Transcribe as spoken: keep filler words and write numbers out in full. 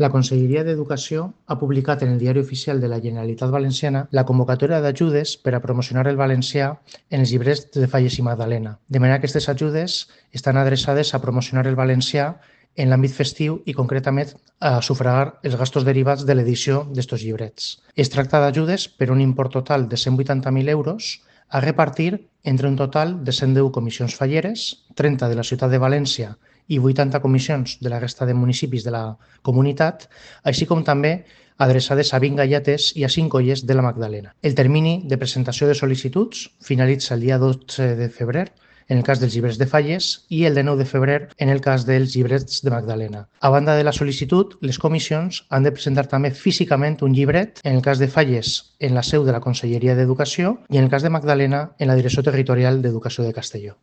La Conselleria d'Educació ha publicat en el Diari Oficial de la Generalitat Valenciana la convocatòria d'ajudes per a promocionar el valencià en els llibres de Falles i Magdalena. De manera que aquestes ajudes estan adreçades a promocionar el valencià en l'àmbit festiu i concretament a sufragar els gastos derivats de l'edició d'estos llibrets. Es tracta d'ajudes per un import total de cent vuitanta mil euros a repartir entre un total de cent deu comissions falleres, trenta de la ciutat de València i vuitanta comissions de la resta de municipis de la comunitat, així com també adreçades a vint galletes i a cinc olles de la Magdalena. El termini de presentació de sol·licituds finalitza el dia dotze de febrer en el cas dels llibres de Falles i el de nou de febrer en el cas dels llibrets de Magdalena. A banda de la sol·licitud, les comissions han de presentar també físicament un llibret, en el cas de Falles en la seu de la Conselleria d'Educació i en el cas de Magdalena en la Direcció Territorial d'Educació de Castelló.